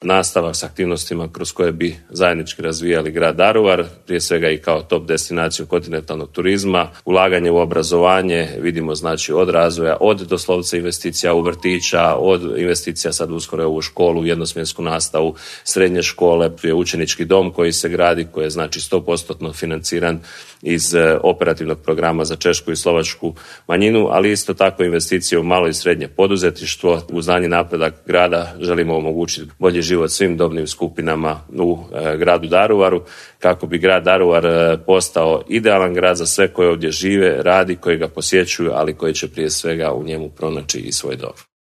nastavak s aktivnostima kroz koje bi zajednički razvijali grad Daruvar, prije svega i kao top destinaciju kontinentalnog turizma, ulaganje u obrazovanje, vidimo znači od razvoja, od doslovce investicija u vrtića, od investicija sad uskoro u školu, jednosmjensku nastavu, srednje škole, učenički dom koji se gradi, koji je znači 100% financiran iz operativnog programa za češku i slovačku manjinu, ali isto tako investicije u malo i srednje poduzetništvo. Uz daljnji napredak grada želimo omogućiti bolji život svim dobnim skupinama u gradu Daruvaru, kako bi grad Daruvar postao idealan grad za sve koji ovdje žive, radi, koji ga posjećuju, ali koji će prije svega u njemu pronaći i svoj dom.